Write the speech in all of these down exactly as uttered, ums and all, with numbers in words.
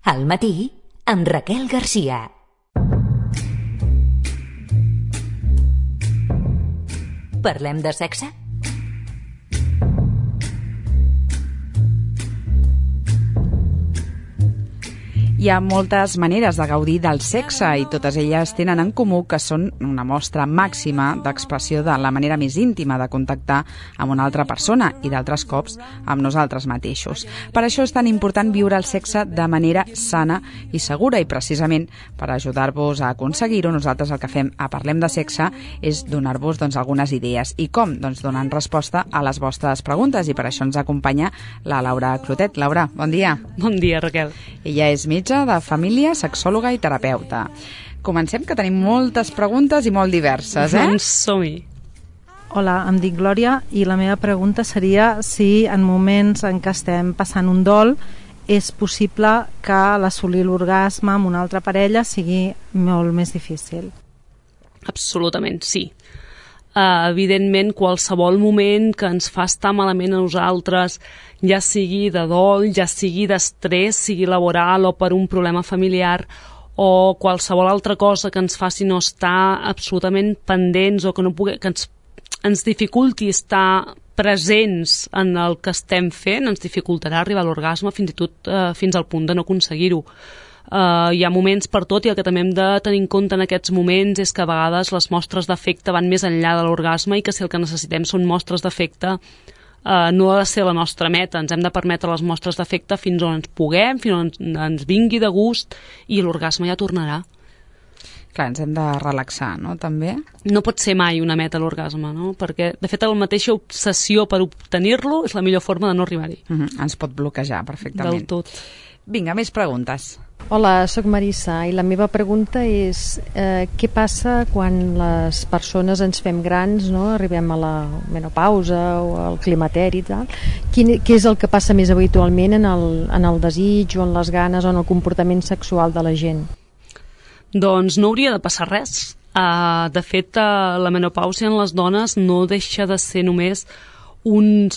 Al matí, amb Raquel Garcia. Parlem de sexe? Hi ha moltes maneres de gaudir del sexe i totes elles tenen en comú que són una mostra màxima d'expressió de la manera més íntima de contactar amb una altra persona i d'altres cops amb nosaltres mateixos. Per això és tan important viure el sexe de manera sana i segura i precisament per ajudar-vos a aconseguir-ho nosaltres el que fem a Parlem de Sexe és donar-vos doncs, algunes idees. I com? Doncs donant resposta a les vostres preguntes i per això ens acompanya la Laura Clotet. Laura, bon dia. Bon dia, Raquel. Ella és metge de família, sexòloga i terapeuta. Comencem, que tenim moltes preguntes i molt diverses, eh? Doncs som-hi. Hola, em dic Glòria i la meva pregunta seria si en moments en què estem passant un dol és possible que l'assolir l'orgasme amb una altra parella sigui molt més difícil. Absolutament, sí. Uh, evidentment, qualsevol moment que ens fa estar malament a nosaltres, ja sigui de dol, ja sigui d'estrès, sigui laboral o per un problema familiar, o qualsevol altra cosa que ens faci no estar absolutament pendents o que, no pugui, que ens, ens dificulti estar presents en el que estem fent, ens dificultarà arribar a l'orgasme fins i tot uh, fins al punt de no aconseguir-ho. Uh, hi ha moments per tot i el que també hem de tenir en compte en aquests moments és que a vegades les mostres d'afecte van més enllà de l'orgasme i que si el que necessitem són mostres d'afecte uh, no ha de ser la nostra meta, ens hem de permetre les mostres d'afecte fins on ens puguem, fins on ens, ens vingui de gust i l'orgasme ja tornarà. Clar, ens hem de relaxar, no?, també. No pot ser mai una meta l'orgasme, no?, perquè de fet la mateixa obsessió per obtenir-lo és la millor forma de no arribar-hi. Uh-huh. Ens pot bloquejar perfectament. Del tot. Vinga, més preguntes. Hola, sóc Marissa i la meva pregunta és eh, què passa quan les persones ens fem grans, no? Arribem a la menopausa o al climateri i tal. Quin, què és el que passa més habitualment en el, en el desig o en les ganes o en el comportament sexual de la gent? Doncs no hauria de passar res. Uh, de fet, uh, la menopàusia en les dones no deixa de ser només un...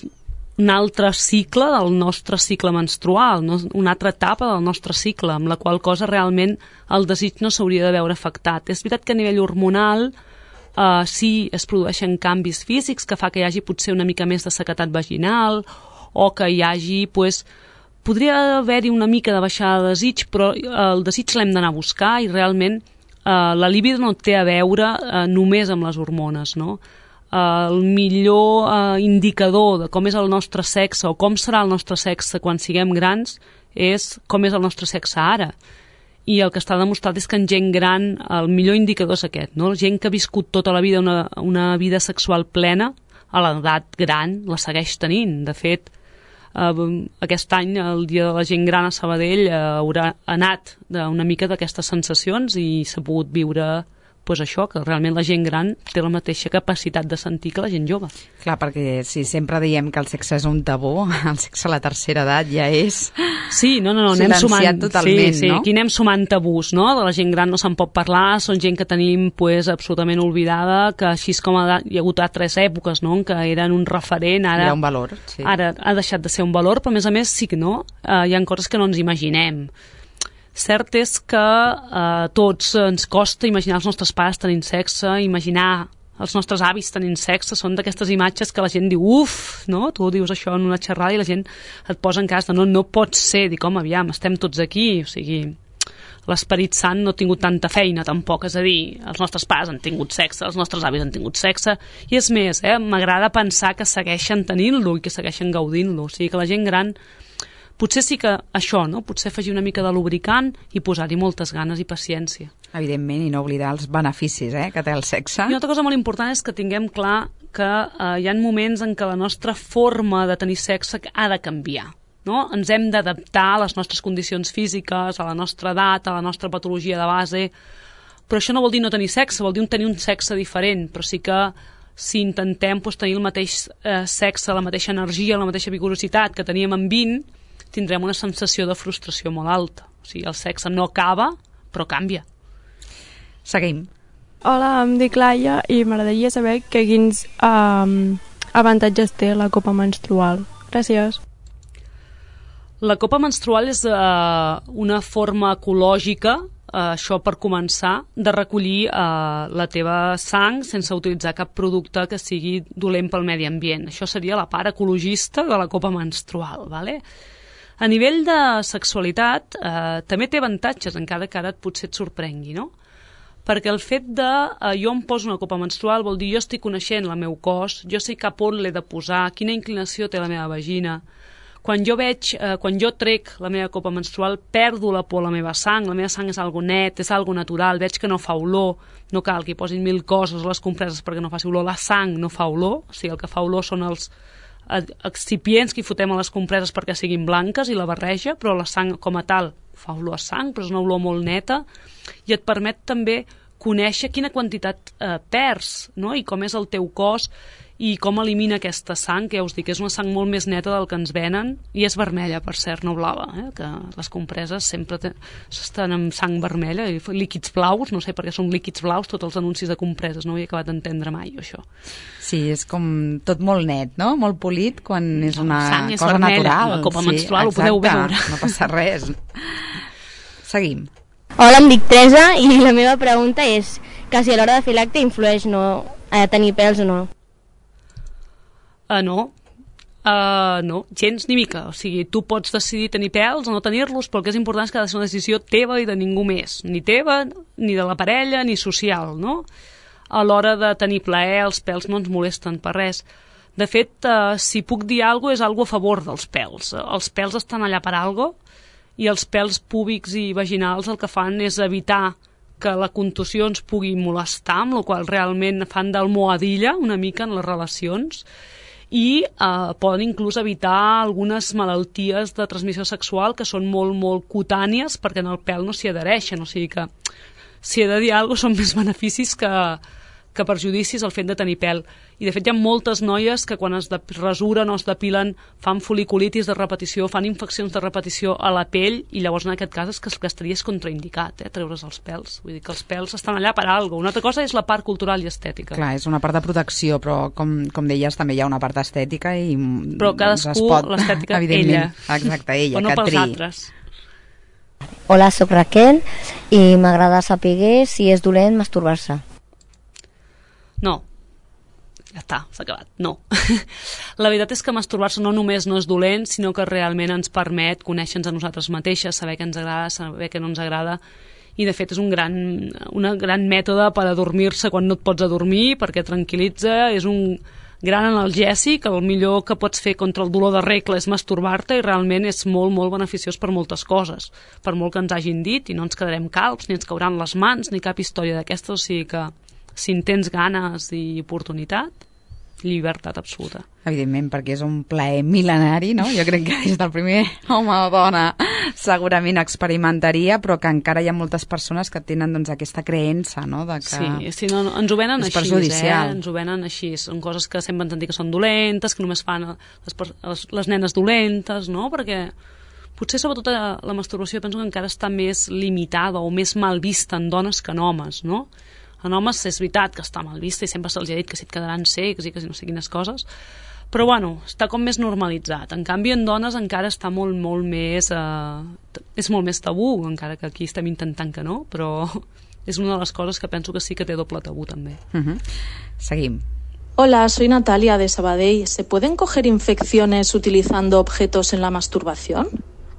un altre cicle del nostre cicle menstrual, no? Una altra etapa del nostre cicle, amb la qual cosa realment el desig no s'hauria de veure afectat. És veritat que a nivell hormonal eh, sí es produeixen canvis físics que fa que hi hagi potser una mica més de sequedat vaginal o que hi hagi, pues, podria haver-hi una mica de baixada de desig, però el desig l'hem d'anar a buscar i realment eh, la libido no té a veure eh, només amb les hormones, no? Uh, el millor uh, indicador de com és el nostre sexe o com serà el nostre sexe quan siguem grans és com és el nostre sexe ara. I el que està demostrat és que en gent gran el millor indicador és aquest, no? Gent que ha viscut tota la vida una, una vida sexual plena, a l'edat gran la segueix tenint. De fet, uh, aquest any, el Dia de la Gent Gran a Sabadell, uh, haurà anat una mica d'aquestes sensacions i s'ha pogut viure pues això, que realment la gent gran té la mateixa capacitat de sentir que la gent jove. Clar, perquè si sempre diem que el sexe és un tabú, el sexe a la tercera edat ja és sí, no, no, no, anem sumant, totalment, sí, sí, no? Aquí anem sumant tabús, no? De la gent gran no se'n pot parlar, són gent que tenim pues, absolutament oblidada, que així com ha, hi ha hagut altres èpoques, no?, en què eren un referent, ara, era un valor, sí. Ara ha deixat de ser un valor, però a més a més sí que no, uh, hi ha coses que no ens imaginem. Cert és que eh, tots ens costa imaginar els nostres pares tenint sexe, imaginar els nostres avis tenint sexe, són d'aquestes imatges que la gent diu, uf, no? Tu dius això en una xerrada i la gent et posa en cas de no, no pot ser, dic, home, aviam, estem tots aquí, o sigui, l'Esperit Sant no ha tingut tanta feina tampoc, és a dir, els nostres pares han tingut sexe, els nostres avis han tingut sexe, i és més, eh, m'agrada pensar que segueixen tenint-lo i que segueixen gaudint-lo, o sigui que la gent gran potser sí que això, no? Potser afegir una mica de lubricant i posar-hi moltes ganes i paciència. Evidentment, i no oblidar els beneficis eh, que té el sexe. I una altra cosa molt important és que tinguem clar que eh, hi ha moments en què la nostra forma de tenir sexe ha de canviar. No? Ens hem d'adaptar a les nostres condicions físiques, a la nostra edat, a la nostra patologia de base, però això no vol dir no tenir sexe, vol dir tenir un sexe diferent, però sí que si intentem doncs, tenir el mateix eh, sexe, la mateixa energia, la mateixa vigorositat que teníem amb vint, tindrem una sensació de frustració molt alta. O sigui, el sexe no acaba, però canvia. Seguim. Hola, em dic Laia i m'agradaria saber que quins um, avantatges té la copa menstrual. Gràcies. La copa menstrual és eh, una forma ecològica, eh, això per començar, de recollir eh, la teva sang sense utilitzar cap producte que sigui dolent pel medi ambient. Això seria la part ecologista de la copa menstrual, ¿vale? A nivell de sexualitat, eh, també té avantatges, encara que ara potser et sorprengui, no? Perquè el fet de eh, jo em poso una copa menstrual vol dir jo estic coneixent el meu cos, jo sé cap on l'he de posar, quina inclinació té la meva vagina. Quan jo veig, eh, quan jo trec la meva copa menstrual, perdo la por a la meva sang, la meva sang és algo net, és algo natural, veig que no fa olor, no cal que hi posin mil coses a les compreses perquè no faci olor, la sang no fa olor, o sigui, el que fa olor són els excipients que hi fotem a les compreses perquè siguin blanques i la barreja, però la sang com a tal fa olor a sang, però és una olor molt neta i et permet també conèixer quina quantitat eh, perds, no? I com és el teu cos i com elimina aquesta sang, que ja us dic, és una sang molt més neta del que ens venen, i és vermella, per cert, no blava, eh? Que les compreses sempre te... estan amb sang vermella, i líquids blaus, no sé per què són líquids blaus, tots els anuncis de compreses, no ho he acabat d'entendre mai, això. Sí, és com tot molt net, no? Molt polit, quan és una sang és cosa vermella, natural. la copa sí, menstrual, exacte, ho podeu veure. No passa res. Seguim. Hola, em dic Teresa i la meva pregunta és que si a l'hora de fer l'acte influeix no, a tenir pèls o no. Uh, no, uh, no, gens ni mica. O sigui, tu pots decidir tenir pèls o no tenir-los, però el que és important és que ha de ser una decisió teva i de ningú més. Ni teva, ni de la parella, ni social, no? A l'hora de tenir plaer, els pèls no ens molesten per res. De fet, uh, si puc dir alguna cosa, és alguna a favor dels pèls. Els pèls estan allà per alguna cosa, i els pèls púbics i vaginals el que fan és evitar que la contusió ens pugui molestar, amb la qual realment fan d'almohadilla una mica en les relacions, i eh, poden inclús evitar algunes malalties de transmissió sexual que són molt, molt cutànies perquè en el pèl no s'hi adhereixen, o sigui que si he de dir alguna cosa són més beneficis que, que perjudicis el fet de tenir pèl. I de fet hi ha moltes noies que quan es rasuren o es depilen fan foliculitis de repetició, fan infeccions de repetició a la pell, i llavors en aquest cas és que el que estaria és contraindicat, eh, treure's els pèls. Vull dir que els pèls estan allà per alguna cosa. Una altra cosa és la part cultural i estètica. Clar, és una part de protecció, però com, com deies també hi ha una part estètica i però cadascú, doncs pot, l'estètica, ella. Exacte, ella, però no que pels triï. altres. Hola, soc Raquel i m'agrada saber si és dolent masturbar-se. No. Ja està, s'ha acabat. No. La veritat és que masturbar-se no només no és dolent, sinó que realment ens permet conèixer-nos a nosaltres mateixes, saber què ens agrada, saber què no ens agrada, i de fet és un gran, una gran mètode per adormir-se quan no et pots adormir, perquè tranquil·litza, és un gran analgèsic, el millor que pots fer contra el dolor de regla és masturbar-te, i realment és molt, molt beneficiós per moltes coses, per molt que ens hagin dit, i no ens quedarem calbs, ni ens cauran les mans, ni cap història d'aquestes, o sigui que si en tens ganes i oportunitat, llibertat absoluta. Evidentment, perquè és un plaer mil·lenari, no? Jo crec que des del primer home o dona segurament experimentaria, però que encara hi ha moltes persones que tenen doncs, aquesta creença, no? De que sí, sí, no, no, ens ho venen és així, perjudicial. eh? Ens ho venen així. Són coses que sempre ens han dit que són dolentes, que només fan les, les, les nenes dolentes, no? Perquè potser sobretot la masturbació penso que encara està més limitada o més mal vista en dones que en homes, no? En homes és veritat que està mal vista i sempre se'ls ha dit que si et quedaran cecs i que si no sé quines coses, però bueno, està com més normalitzat. En canvi en dones encara està molt, molt més eh, és molt més tabú, encara que aquí estem intentant que no, però és una de les coses que penso que sí que té doble tabú també. Uh-huh. Seguim. Hola, soy Natalia de Sabadell. ¿Se pueden coger infecciones utilizando objetos en la masturbación?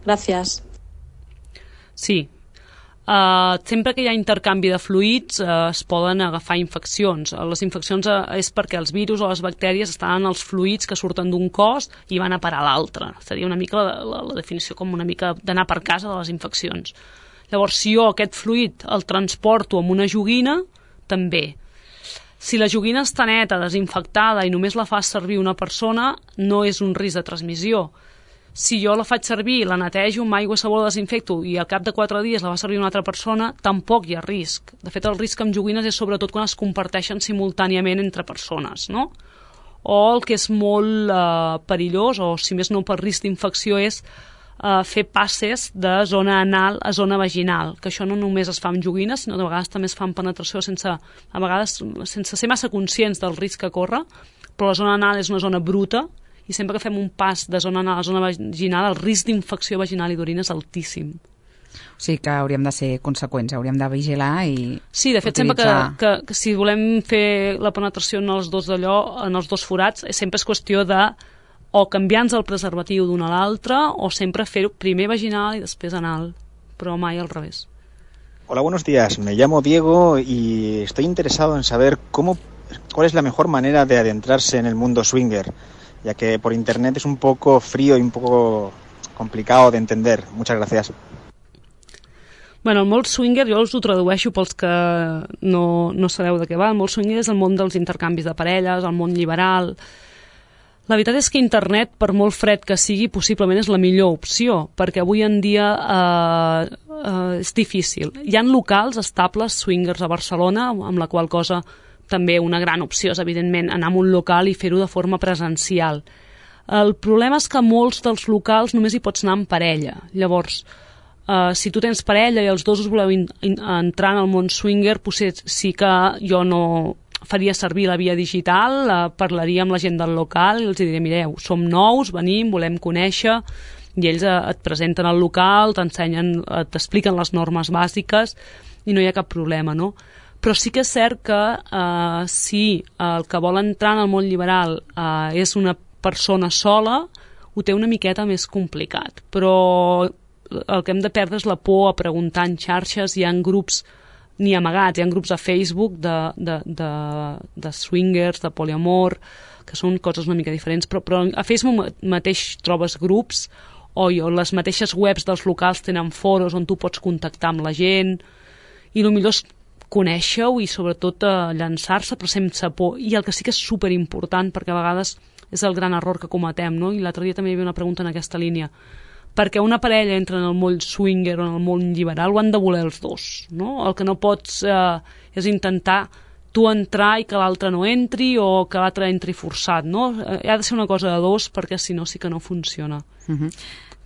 Gracias. Sí. Uh, sempre que hi ha intercanvi de fluids uh, es poden agafar infeccions. Les infeccions uh, és perquè els virus o les bactèries estan en els fluids que surten d'un cos i van a parar a l'altre. Seria una mica la, la, la definició com una mica d'anar per casa de les infeccions. Llavors, si jo aquest fluid el transporto amb una joguina, també. Si la joguina està neta, desinfectada i només la fa servir una persona, no és un risc de transmissió. Si jo la faig servir, la netejo amb aigua, sabó, la desinfecto i al cap de quatre dies la va servir una altra persona, tampoc hi ha risc. De fet, el risc amb joguines és sobretot quan es comparteixen simultàniament entre persones, no? O el que és molt eh, perillós, o si més no per risc d'infecció, és eh, fer passes de zona anal a zona vaginal, que això no només es fa amb joguines, sinó que de vegades també es fa amb penetració sense, a vegades sense ser massa conscients del risc que corre, però la zona anal és una zona bruta i sempre que fem un pas de zona anal a zona vaginal, el risc d'infecció vaginal i d'orina és altíssim. O sigui que hauríem de ser conseqüents, hauríem de vigilar i Sí, de fet, utilitzar... sempre que, que, que si volem fer la penetració en els dos d'allò, en els dos forats, sempre és qüestió de o canviar-nos el preservatiu d'un a l'altre o sempre fer-ho primer vaginal i després anal, però mai al revés. Hola, buenos días. Me llamo Diego y estoy interesado en saber cómo, cuál es la mejor manera de adentrarse en el mundo swinger, ya que por internet es un poco frío y un poco complicado de entender. Muchas gracias. Bueno, el món swinger, jo us ho tradueixo pels que no, no sabeu de què va. El món swinger és el món dels intercanvis de parelles, el món liberal. La veritat és que internet, per molt fred que sigui, possiblement és la millor opció, perquè avui en dia eh, eh, és difícil. Hi ha locals estables swingers a Barcelona, amb la qual cosa també una gran opció és, evidentment, anar a un local i fer-ho de forma presencial. El problema és que molts dels locals només hi pots anar en parella. Llavors, Uh, si tu tens parella i els dos us voleu in, in, entrar en el món swinger, potser sí que jo no faria servir la via digital, uh, parlaria amb la gent del local i els diré, mireu, som nous, venim, volem conèixer, i ells uh, et presenten al local, t'ensenyen, uh, t'expliquen les normes bàsiques i no hi ha cap problema, no? Però sí que és cert que uh, si el que vol entrar en el món liberal uh, és una persona sola, ho té una miqueta més complicat, però el que hem de perdre és la por a preguntar en xarxes. Hi ha grups ni amagats, hi ha grups a Facebook de, de, de, de swingers, de poliamor, que són coses una mica diferents, però, però a Facebook mateix trobes grups o, o les mateixes webs dels locals tenen foros on tu pots contactar amb la gent, i el millor és conèixer-ho i sobretot eh, llançar-se però sense por. I el que sí que és superimportant, perquè a vegades és el gran error que cometem, no? I l'altre dia també hi havia una pregunta en aquesta línia, perquè una parella entra en el món swinger o en el món liberal, ho han de voler els dos, no? El que no pots eh, és intentar tu entrar i que l'altre no entri o que l'altre entri forçat, no? Eh, ha de ser una cosa de dos, perquè si no sí que no funciona. Uh-huh.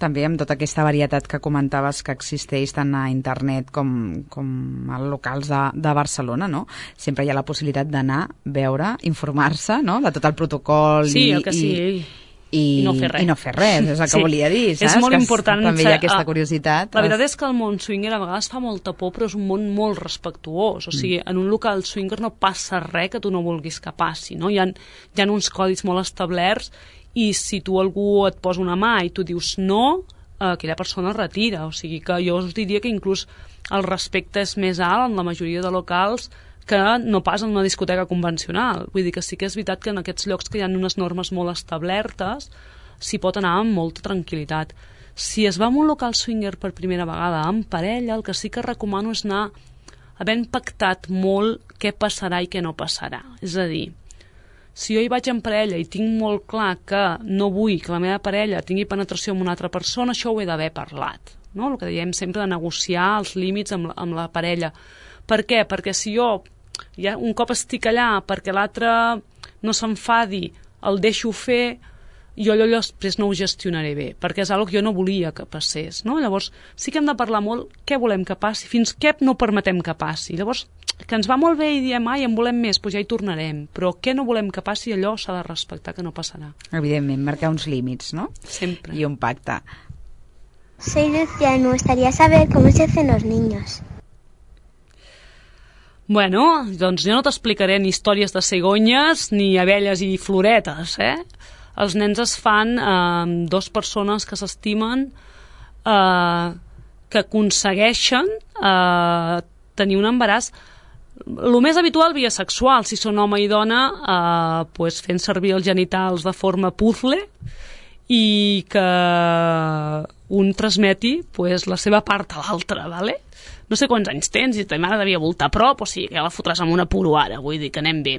També amb tota aquesta varietat que comentaves que existeix tant a internet com, com a locals de, de Barcelona, no? Sempre hi ha la possibilitat d'anar, veure, informar-se, no? De tot el protocol sí, i... el que sí. I... I, I no fer res. I no fer res, és el que sí. volia dir, saps? És molt que important. També hi ha aquesta curiositat. La veritat és que el món swinger a vegades fa molta por, però és un món molt respectuós. O sigui, mm. en un local swinger no passa res que tu no vulguis que passi, no? Hi ha, hi ha uns codis molt establerts i si tu algú et posa una mà i tu dius no, aquella persona es retira. O sigui que jo us diria que inclús el respecte és més alt en la majoria de locals que no pas en una discoteca convencional. Vull dir que sí que és veritat que en aquests llocs que hi ha unes normes molt establertes s'hi pot anar amb molta tranquil·litat. Si es va a un local swinger per primera vegada amb parella, el que sí que recomano és anar havent pactat molt què passarà i què no passarà. És a dir, si jo hi vaig en parella i tinc molt clar que no vull que la meva parella tingui penetració amb una altra persona, això ho he d'haver parlat, no? El que diem sempre de negociar els límits amb la, amb la parella. Per què? Perquè si jo ja un cop estic allà perquè l'altre no s'enfadi, el deixo fer, jo allò després no ho gestionaré bé, perquè és una cosa que jo no volia que passés, no? Llavors sí que hem de parlar molt què volem que passi, fins què no permetem que passi. Llavors, que ens va molt bé i diem, ai, en volem més, doncs ja hi tornarem, però què no volem que passi, allò s'ha de respectar, que no passarà. Evidentment, marcar uns límits, no? Sempre. I un pacte. Soy Lucia y me gustaría saber cómo se hacen los niños. Bueno, doncs jo no t'explicaré ni històries de cigonyes ni abelles i floretes, eh? Els nens es fan amb eh, dues persones que s'estimen, eh, que aconsegueixen eh, tenir un embaràs. El més habitual via sexual, si són home i dona, eh, pues fent servir els genitals de forma puzzle i que un transmeti pues, la seva part a l'altre, ¿vale? No sé quants anys tens i ta mare devia voltar a prop, o sigui que ja la fotràs amb una puro ara, vull dir que anem bé.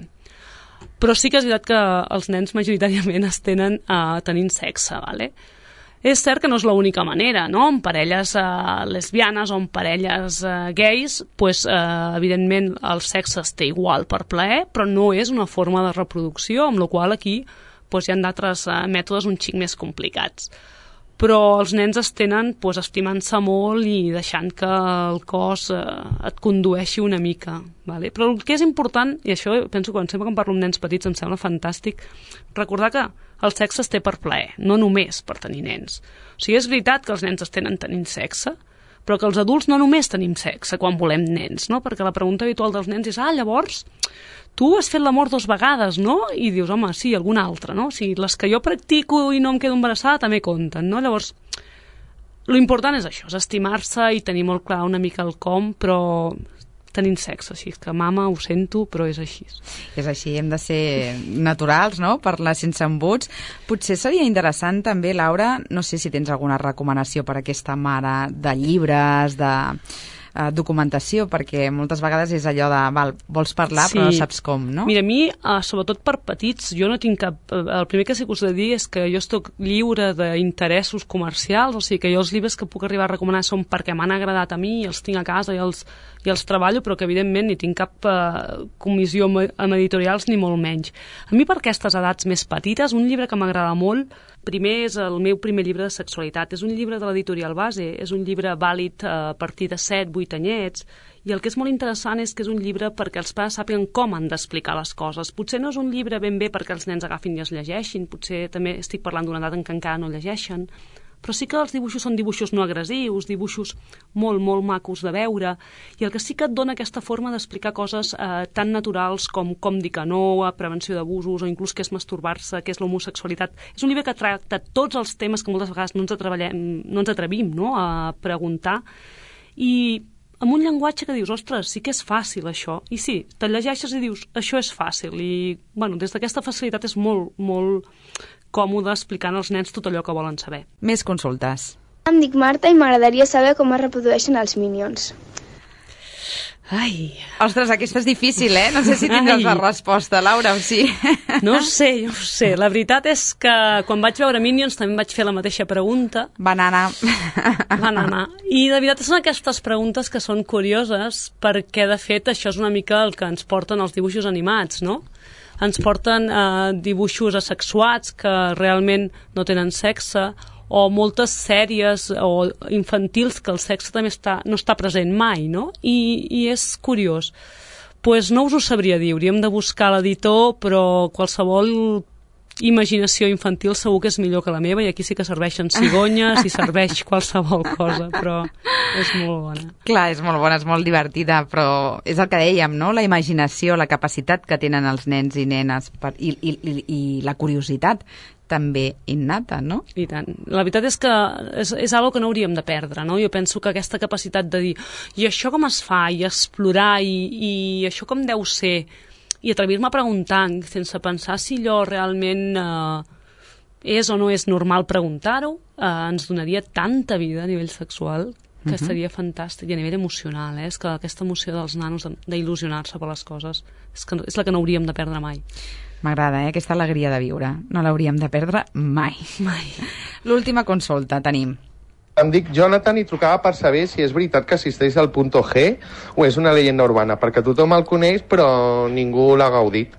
Però sí que és veritat que els nens majoritàriament es tenen uh, tenint sexe, ¿vale? És cert que no és l'única manera, no? En parelles uh, lesbianes o en parelles uh, gais, pues, uh, evidentment el sexe es té igual per plaer, però no és una forma de reproducció, amb la qual aquí pues, hi ha d'altres uh, mètodes un xic més complicats. però els nens es tenen pues, estimant-se molt i deixant que el cos eh, et condueixi una mica. Vale? Però el que és important, i això penso que quan sempre que em parlo amb nens petits em sembla fantàstic, recordar que el sexe es té per plaer, no només per tenir nens. O sigui, és veritat que els nens es tenen tenint sexe, però que els adults no només tenim sexe quan volem nens, no? Perquè la pregunta habitual dels nens és ah, llavors, tu has fet l'amor dues vegades, no? I dius, home, sí, alguna altra, no? O sigui, les que jo practico i no em quedo embarassada també compten, no? Llavors, l'important és això, és estimar-se i tenir molt clar una mica el com, però tenint sexe, així que mama, ho sento, però és així. És així, hem de ser naturals, no?, parlar sense embuts. Potser seria interessant també, Laura, no sé si tens alguna recomanació per a aquesta mare de llibres, de eh, documentació, perquè moltes vegades és allò de, val, vols parlar sí. però no saps com, no? Mira, a mi, eh, sobretot per petits, jo no tinc cap... El primer que sí que us he de dir és que jo estic lliure d'interessos comercials, o sigui que jo els llibres que puc arribar a recomanar són perquè m'han agradat a mi, els tinc a casa i els, i els treballo, però que evidentment ni tinc cap eh, comissió amb editorials ni molt menys. A mi per aquestes edats més petites, un llibre que m'agrada molt, primer és el meu primer llibre de sexualitat, és un llibre de l'editorial Base, és un llibre vàlid a partir de set, vuit anyets, i el que és molt interessant és que és un llibre perquè els pares sàpiguen com han d'explicar les coses. Potser no és un llibre ben bé perquè els nens agafin i es llegeixin, potser també estic parlant d'una edat en què encara no llegeixen, però sí que els dibuixos són dibuixos no agressius, dibuixos molt, molt macos de veure, i el que sí que et dona aquesta forma d'explicar coses eh, tan naturals com com dir que no, a prevenció d'abusos, o inclús què és masturbar-se, què és l'homosexualitat. És un llibre que tracta tots els temes que moltes vegades no ens, no ens atrevim no, a preguntar, i amb un llenguatge que dius, ostres, sí que és fàcil això, i sí, te'l llegeixes i dius, això és fàcil, i bueno, des d'aquesta facilitat és molt, molt còmode explicant als nens tot allò que volen saber. Més consultes. Em dic Marta i m'agradaria saber com es reprodueixen els Minions. Ai... Ostres, aquesta és difícil, eh? No sé si tindràs la resposta, Laura, o sí. No ho sé, no ho sé. La veritat és que quan vaig veure Minions també em vaig fer la mateixa pregunta. Banana. Banana. I la veritat són aquestes preguntes que són curioses perquè, de fet, això és una mica el que ens porten els dibuixos animats, no? Ens porten eh, dibuixos asexuats que realment no tenen sexe, o moltes sèries o infantils que el sexe també està, no està present mai, no? I, i és curiós. Pues no us ho sabria dir, hauríem de buscar l'editor, però qualsevol imaginació infantil segur que és millor que la meva, i aquí sí que serveixen cigonyes i serveix qualsevol cosa, però és molt bona. Clar, és molt bona, és molt divertida, però és el que dèiem, no? La imaginació, la capacitat que tenen els nens i nenes per, i, i, i, i la curiositat també innata, no? I tant. La veritat és que és, és algo que no hauríem de perdre, no? Jo penso que aquesta capacitat de dir i això com es fa, i explorar, i, i això com deu ser, i atrevir-me a preguntar sense pensar si allò realment eh, és o no és normal preguntar-ho, eh, ens donaria tanta vida a nivell sexual que uh-huh. seria fantàstic, i a nivell emocional, eh? És que aquesta emoció dels nanos d'il·lusionar-se per les coses és, que, és la que no hauríem de perdre mai. M'agrada, eh? Aquesta alegria de viure. No l'hauríem de perdre mai. Mai. L'última consulta tenim. Em dic Jonathan i trucava per saber si és veritat que existeix el Punto G o és una leyenda urbana, perquè tothom el coneix però ningú l'ha gaudit.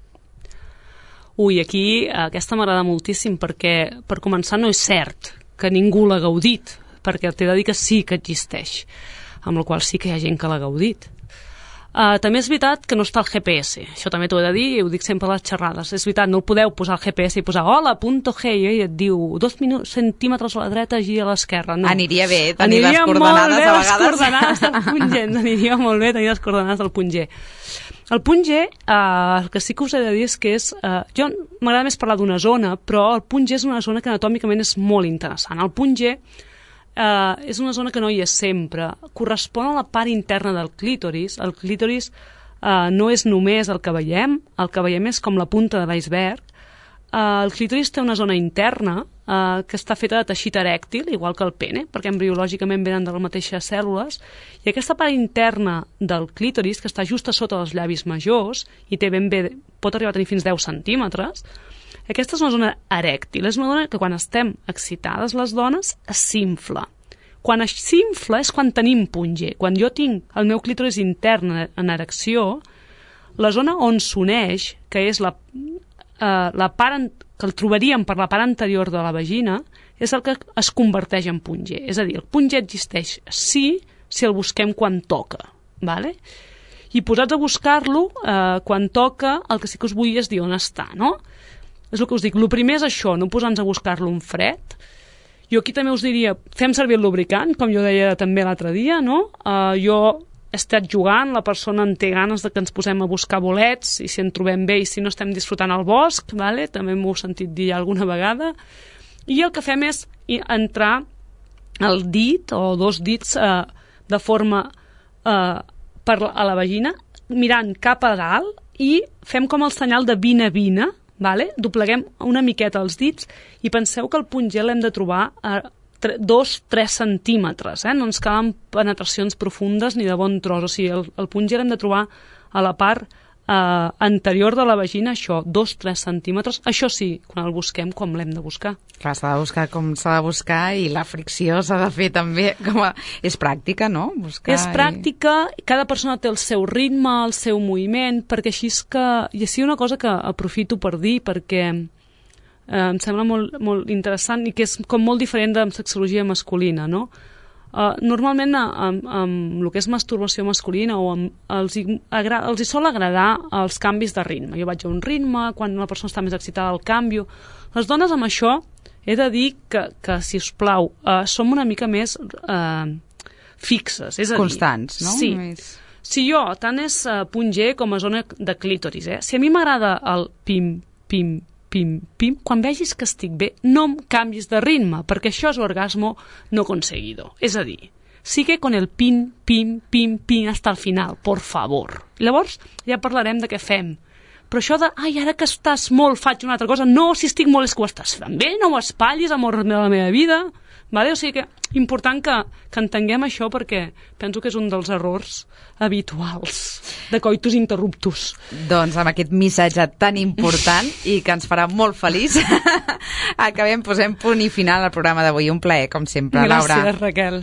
Ui, aquí aquesta m'agrada moltíssim perquè, per començar, no és cert que ningú l'ha gaudit, perquè t'he de dir que sí que existeix, amb la qual sí que hi ha gent que l'ha gaudit. Uh, també és veritat que no està el G P S, això també t'ho he de dir, i ho dic sempre a les xerrades. És veritat, no el podeu posar al G P S i posar hola, punto G, i et diu dos centímetres a la dreta, gira a l'esquerra. No. Aniria bé tenir les coordenades a vegades. Aniria molt bé les coordenades del punt G, aniria molt bé tenir les coordenades del punt G. El punt G, uh, el que sí que us he de dir és que és... Uh, jo m'agrada més parlar d'una zona, però el punt G és una zona que anatòmicament és molt interessant. El punt G Uh, és una zona que no hi és sempre. Correspon a la part interna del clítoris. El clítoris uh, no és només el que veiem, el que veiem és com la punta de l'iceberg. Uh, el clítoris té una zona interna uh, que està feta de teixit erèctil, igual que el pene, perquè embriològicament venen de les mateixes cèl·lules, i aquesta part interna del clítoris, que està just a sota dels llavis majors, i té ben bé, pot arribar a tenir fins deu centímetres, aquesta és una zona erèctil, és una zona que quan estem excitades les dones s'infla. Quan s'infla és quan tenim punt G. Quan jo tinc el meu clítoris intern en erecció, la zona on s'uneix, que és la, eh, la part que el trobaríem per la part anterior de la vagina, és el que es converteix en punt G. És a dir, el punt G existeix sí si el busquem quan toca, vale? I posats a buscar-lo, eh, quan toca, el que sí que us vull és dir on està, no? És el que us dic, el primer és això, no posar-nos a buscar-lo en fred. Jo aquí també us diria, fem servir el lubricant, com jo deia també l'altre dia, no? Uh, jo he estat jugant, la persona en té ganes de que ens posem a buscar bolets, i si en trobem bé i si no estem disfrutant al bosc, vale? També m'ho he sentit dir alguna vegada, i el que fem és entrar el dit o dos dits uh, de forma uh, per la, a la vagina, mirant cap a dalt, i fem com el senyal de vine-vine, vale? Dobleguem una miqueta els dits i penseu que el punt G l'hem de trobar a dos a tres centímetres, eh? No ens calen penetracions profundes ni de bon tros, o sigui, el, el punt G l'hem de trobar a la part eh, anterior de la vagina, això, dos a tres centímetres, això sí, quan el busquem, com l'hem de buscar. Clar, s'ha de buscar com s'ha de buscar i la fricció s'ha de fer també, com a... és pràctica, no? Buscar és pràctica, i... cada persona té el seu ritme, el seu moviment, perquè així és que... I així una cosa que aprofito per dir, perquè eh, em sembla molt, molt interessant i que és com molt diferent de sexologia masculina, no? Uh, normalment amb, amb el que és masturbació masculina o amb, els, hi agra, els hi sol agradar els canvis de ritme. Jo vaig a un ritme, quan la persona està més excitada el canvio. Les dones amb això he de dir que, que si us plau, uh, som una mica més uh, fixes. És a constants, dir, no? Sí. Més... Si jo, tant és uh, punt G com a zona de clítoris, eh? Si a mi m'agrada el pim, pim, pim, pim, quan vegis que estic bé, no em canvis de ritme, perquè això és orgasmo no conseguido. És a dir, sigue con el pim, pim, pim, pim hasta el final, por favor. Llavors ja parlarem de què fem. Però això de, ai, ara que estàs molt, faig una altra cosa, no, si estic molt és que ho estàs fent bé, no ho espatllis, amor de la meva vida. Vale? O sigui que important que, que entenguem això, perquè penso que és un dels errors habituals de coitus interruptus. Doncs amb aquest missatge tan important i que ens farà molt feliç acabem, posem punt i final al programa d'avui. Un plaer, com sempre, Gràcies, Laura. Raquel.